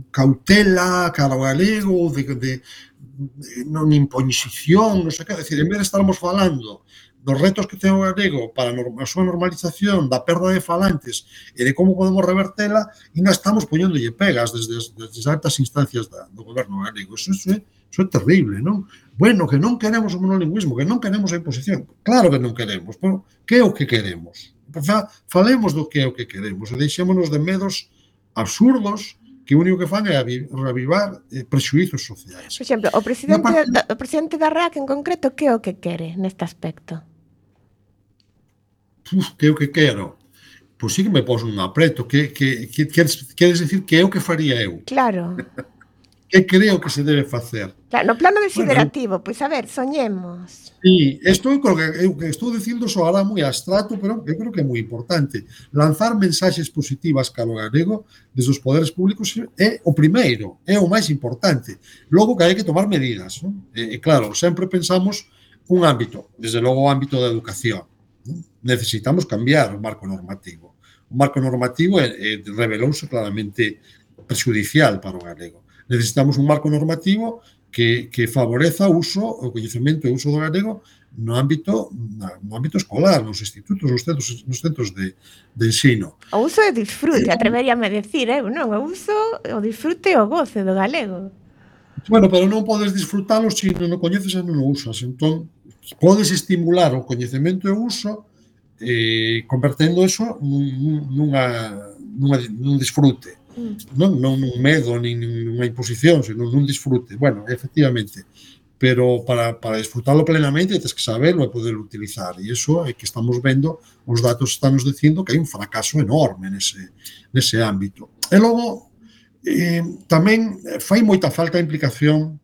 cautela cara ao galego, de, de, de non imposición, non sei que, decir, en vez de estarmos falando dos retos que ten o galego para a súa normalización, da perda de falantes e de como podemos revertela, e non estamos poñéndolle pegas desde, desde as altas instancias da, do goberno galego. Eso, eso, é, eso é terrible, non? Bueno, que non queremos o monolingüismo, que non queremos a imposición. Claro que non queremos, pero que é o que queremos? Falemos do que é o que queremos e deixémonos de medos absurdos que o único que fan é reavivar eh, prexuizos sociais. Por exemplo, o presidente, parte... da, o presidente da R A C en concreto, que é o que quere neste aspecto? uf, que é o que quero, pois sí que me pos un apreto, que, que, que queres, queres decir que é o que faría eu, Claro. que creo que se debe facer. Claro, no plano Bueno, desiderativo, pois a ver, soñemos. sí, isto eu creo que eu que estou dicindo soará moi abstracto, pero eu creo que é moi importante. Lanzar mensaxes positivas cara ao galego desde os poderes públicos é o primeiro, é o máis importante. Logo que hai que tomar medidas, non? E, e claro, sempre pensamos un ámbito, desde logo o ámbito da educación, non? Necesitamos cambiar o marco normativo. O marco normativo é, é, revelouse claramente prexudicial para o galego. Necesitamos un marco normativo que, que favoreza o uso, o coñecemento e o uso do galego no ámbito, no ámbito escolar, nos institutos, nos centros, nos centros de, de ensino. O uso e disfrute, atreveríame a decir, eu non, o uso, o disfrute e o goce do galego. Bueno, pero non podes disfrutalo se non o coñeces e non o usas. Entón, podes estimular o coñecemento e o uso eh, convertendo eso nun, nunha, nunha, nun disfrute. Non, non un medo, nin unha imposición, senón un disfrute. Bueno, efectivamente, pero para, para disfrutarlo plenamente tens que saberlo e poderlo utilizar, e iso é que estamos vendo, os datos están nos dicindo que hai un fracaso enorme nese, nese ámbito. E logo, eh, tamén fai moita falta a implicación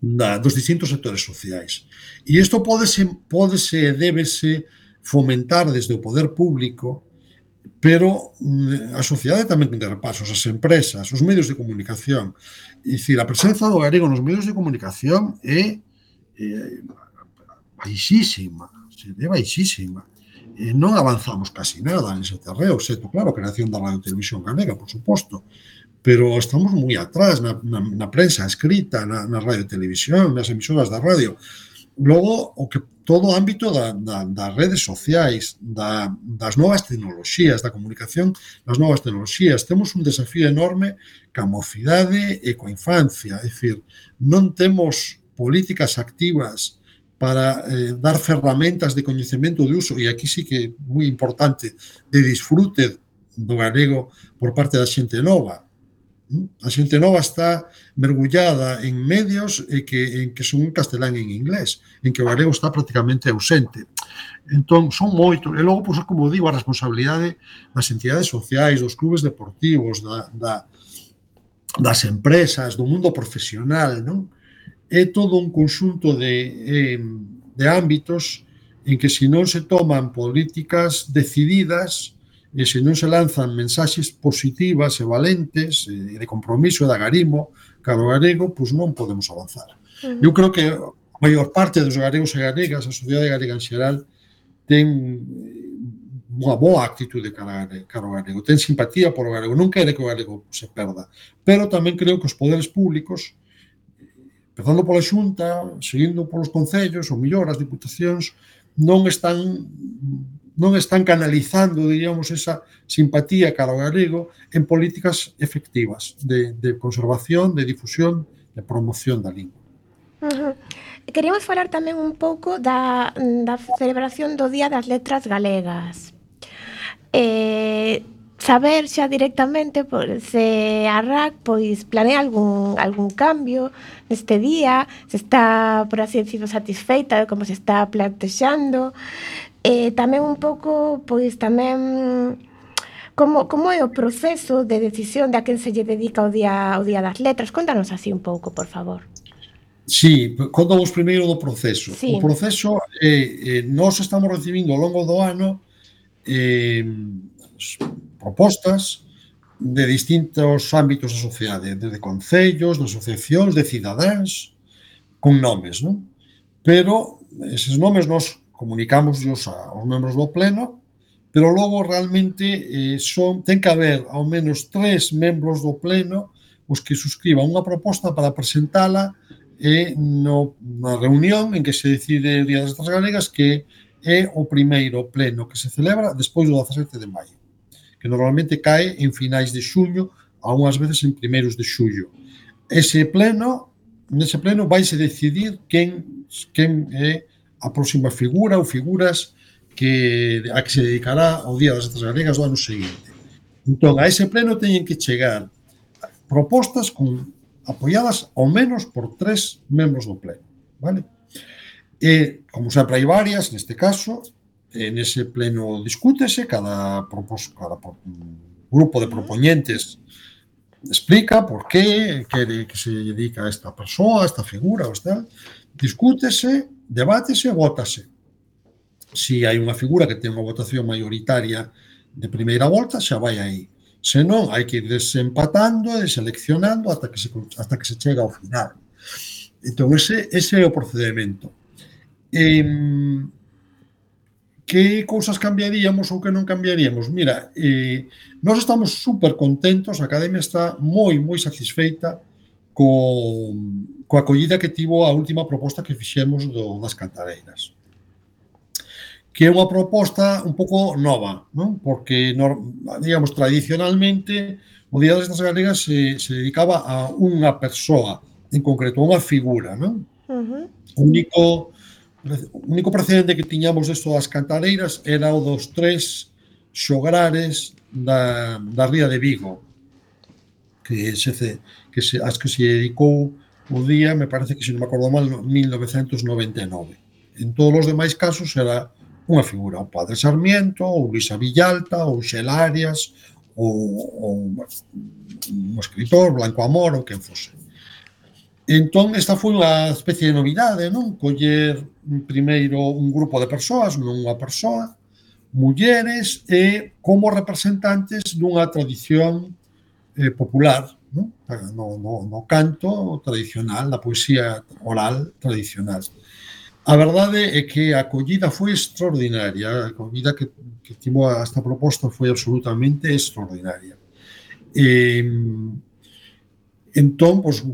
da, dos distintos sectores sociais. E isto pódese, pódese e débese fomentar desde o poder público, pero a sociedade tamén ten repasos, as empresas, os medios de comunicación. É dicir, a presenza do galego nos medios de comunicación é, é baixísima, é baixísima. E non avanzamos casi nada nese terreo, excepto, claro, a creación da radio e televisión galega, por suposto, pero estamos moi atrás na, na, na prensa escrita, na, na radio e televisión, nas emisoras da radio. Logo, o que todo o ámbito da, da, das redes sociais, da, das novas tecnoloxías, da comunicación das novas tecnoloxías. Temos un desafío enorme ca mocidade e coa infancia. É dicir, non temos políticas activas para eh, dar ferramentas de coñecemento de uso, e aquí sí que é moi importante, de disfrute do galego por parte da xente nova. A xente nova está mergullada en medios e que, en que son en castelán e en inglés, en que o galego está prácticamente ausente. Entón, son moitos. E logo, pois, como digo, a responsabilidade das entidades sociais, dos clubes deportivos, da, da, das empresas, do mundo profesional, non? É todo un conxunto de, eh, de ámbitos en que, se non se toman políticas decididas, e se non se lanzan mensaxes positivas e valentes e de compromiso e de agarimo cara ao galego, pois non podemos avanzar. Uh-huh. Eu creo que a maior parte dos galegos e galegas, a sociedade galega en xeral, ten unha boa actitude cara ao galego, ten simpatía por o galego, non quere que o galego se perda, pero tamén creo que os poderes públicos, empezando pola Xunta, seguindo polos concellos, ou mellor as diputacións, non están non están canalizando, diríamos, esa simpatía cara ao galego en políticas efectivas de, de conservación, de difusión, de promoción da lingua. Uh-huh. Queríamos falar tamén un pouco da, da celebración do Día das Letras Galegas. Eh, saber xa directamente por, se a R A C pois, planea algún, algún cambio neste día, se está, por así decirlo, satisfeita de como se está plantexando. Eh, tamén un pouco, pois tamén como, como é o proceso de decisión de a quen se lle dedica o día, o día das letras. Contanos así un pouco, por favor. Sí, contamos primeiro do proceso. Sí. O proceso, eh, eh, nós estamos recibindo ao longo do ano eh, propostas de distintos ámbitos da sociedade, desde concellos, de asociacións, de cidadáns, con nomes, non? Pero eses nomes nós comunicamos aos membros do pleno, pero logo realmente eh, son, ten que haber ao menos tres membros do pleno os que suscriban unha proposta para presentala e no, na reunión en que se decide o Día das Letras Galegas, que é o primeiro pleno que se celebra despois do dezasete de maio, que normalmente cae en finais de xuño, algunhas veces en primeiros de xullo. Ese pleno, nese pleno vaise decidir quen, quen é a próxima figura ou figuras que, a que se dedicará ao Día das Letras Galegas do ano seguinte. Entón, a ese pleno teñen que chegar propostas con, apoiadas ao menos por tres membros do pleno, vale? E, como sempre hai varias, neste caso, en ese pleno discútese, cada, propos, cada grupo de propoñentes explica por qué quere que se dedica a esta persoa, a esta figura, ou tal, discútese, debátese e vótase. Se hai unha figura que ten unha votación mayoritaria de primeira volta, xa vai aí. Se non, hai que ir desempatando e seleccionando ata que se, hasta que se chega ao final. Entón, ese, ese é o procedimento. E, que cousas cambiaríamos ou que non cambiaríamos? Mira, eh, nós estamos super contentos, a Academia está moi, moi satisfeita co, coa acollida que tivo a última proposta que fixemos do, das cantareiras, que é unha proposta un pouco nova, non? Porque, digamos, tradicionalmente, o Día das Letras Galegas se, se dedicaba a unha persoa, en concreto, a unha figura, non? Uh-huh. O único, o único precedente que tiñamos desto das cantareiras era o dos tres xograres da, da ría de Vigo, que se, que se, as que se dedicou o día, me parece que, se non me acordo mal, mil novecentos noventa e nove. En todos os demais casos era unha figura, o Padre Sarmiento, ou Luisa Villalta, ou Xelarias, ou, ou un escritor, Blanco Amor, ou quen fose. Entón, esta foi unha especie de novidade, non? Coller primeiro un grupo de persoas, non unha persoa, mulleres, e como representantes dunha tradición eh, popular, non? No, no, no canto tradicional, na poesía oral tradicional. A verdade é que a acollida foi extraordinaria, a acollida que, que tivo esta proposta foi absolutamente extraordinaria. E, entón, pues,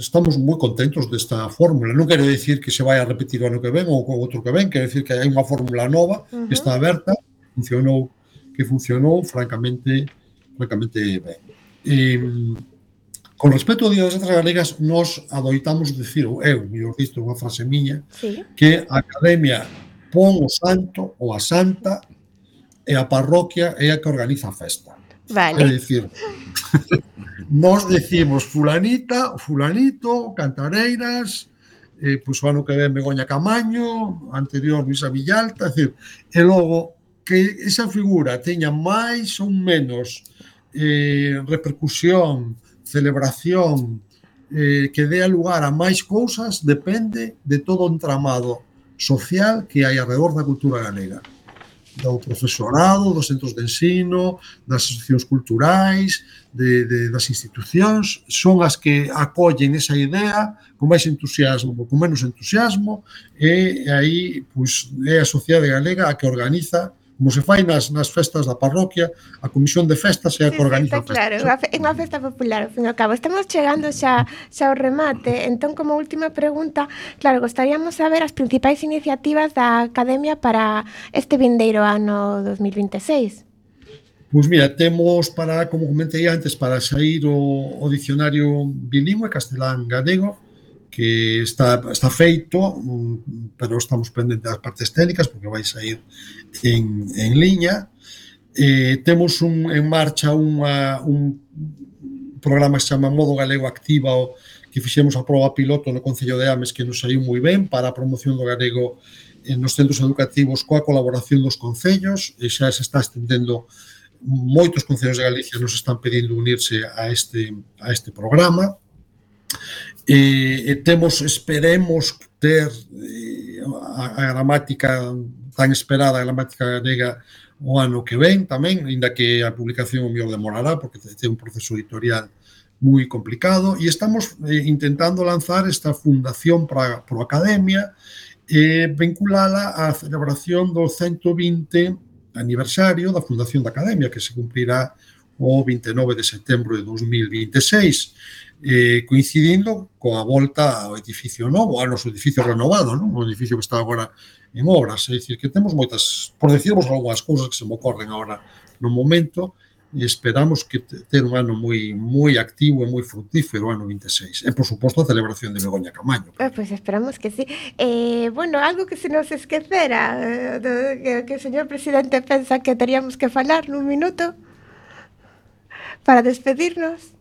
estamos moi contentos desta fórmula. Non quero dicir que se vai a repetir o ano que ven ou o outro que ven, quero dicir que hai unha fórmula nova uh-huh. que está aberta, funcionou, que funcionou francamente, francamente ben. E, con respecto ao Día das Letras Galegas, nós adoitamos dicir, ou eu, mellor dito, unha frase miña, sí. que a Academia pon o santo ou a santa e a parroquia é a que organiza a festa. Vale. É dicir, nós decimos fulanita, fulanito, cantareiras, eh, pois o ano que ven Begoña Camaño, anterior Luisa Villalta, é dicir, e logo que esa figura teña máis ou menos eh, repercusión, celebración, eh, que dé lugar a máis cousas, depende de todo o entramado social que hai alrededor da cultura galega, do profesorado, dos centros de ensino, das asociacións culturais, de, de, das institucións, son as que acollen esa idea con máis entusiasmo, con menos entusiasmo, e aí pois, é a sociedade galega a que organiza, como se fai nas, nas festas da parroquia, a comisión de festas é a que sí, organiza sí, claro, é unha festa popular, ao fin e ao cabo. Estamos chegando xa, xa ao remate, entón, como última pregunta, claro, gostaríamos saber as principais iniciativas da Academia para este vindeiro ano dos mil vinte e seis. Pois mira, temos para, como comentei antes, para sair o, o dicionario bilingüe castelán-galego, que está, está feito, pero estamos pendentes das partes técnicas porque vai sair en, en liña. Eh, temos un, en marcha unha, un programa que se chama Modo Galego Activa, que fixemos a proba piloto no Concello de Ames, que nos saiu moi ben para a promoción do galego nos centros educativos coa colaboración dos concellos, e xa se está estendendo, moitos concellos de Galicia nos están pedindo unirse a este, a este programa. E, e temos, esperemos ter eh, a, a gramática tan esperada, a gramática galega o ano que ven tamén, ainda que a publicación o mellor demorará porque ten un proceso editorial moi complicado, e estamos eh, intentando lanzar esta fundación para pro Academia e eh, vinculala á celebración do ciento vinte aniversario da fundación da Academia, que se cumprirá o vinte e nove de setembro de dos mil vinte e seis, eh, coincidindo coa volta ao edificio novo, ao noso edificio renovado, non? O edificio que está agora en obras. É dicir, que temos moitas, por decirvos algunhas cousas que se me ocorren agora no momento, e esperamos que ter un ano moi moi activo e moi fructífero o ano vinte e seis. E, por suposto, a celebración de Begoña Camaño. Eh, pois pues esperamos que sí. Eh, bueno, algo que se nos esquecera, eh, de, que, que o señor presidente pensa que teríamos que falar nun minuto para despedirnos.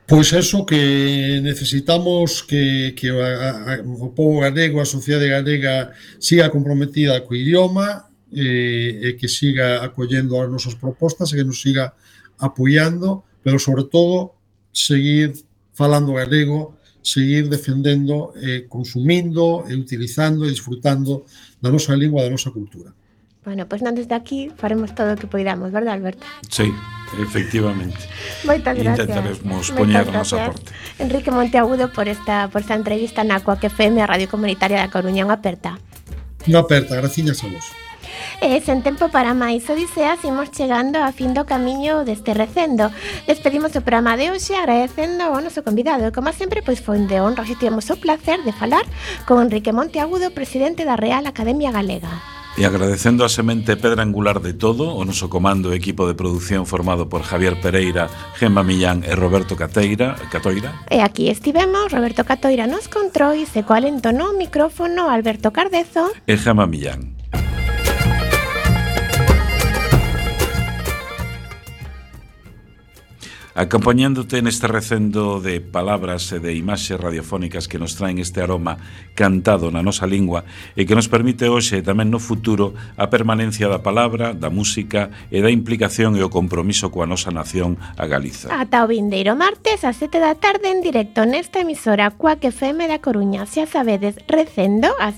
Pois eso, que necesitamos que, que a, a, o povo galego, a sociedade galega siga comprometida co idioma e, e que siga acollendo as nosas propostas e que nos siga apoiando, pero sobre todo seguir falando galego, seguir defendendo, eh, consumindo e utilizando e disfrutando da nosa lingua, da nosa cultura. Bueno, pois non desde aquí faremos todo o que poidamos, verdad, Alberto? Sí, efectivamente. Moitas gracias. Intentaremos poñer a nosa gracias, parte. Enrique Monteagudo, por esta, por esta entrevista na Coac F M, a Radio Comunitaria da Coruña. Unha aperta. Unha aperta, graciñas a vos. E sen tempo para máis odiseas, imos chegando a fin do camiño deste recendo. Despedimos o programa de hoxe agradecendo ao noso convidado. E como sempre, pois foi de honra, e tivemos o placer de falar con Enrique Monteagudo, presidente da Real Academia Galega. E agradecendo a semente pedra angular de todo, o noso comando e equipo de produción formado por Javier Pereira, Gemma Millán e Roberto Cateira, Catoira. E aquí estivemos, Roberto Catoira nos controis, e co alento no micrófono Alberto Cardezo e Gemma Millán. Acompañándote neste recendo de palabras e de imaxes radiofónicas que nos traen este aroma cantado na nosa lingua e que nos permite hoxe e tamén no futuro a permanencia da palabra, da música e da implicación e o compromiso coa nosa nación, a Galiza. Ata o vindeiro martes ás sete da tarde en directo nesta emisora Coac F M da Coruña. Xa sabedes, recendo as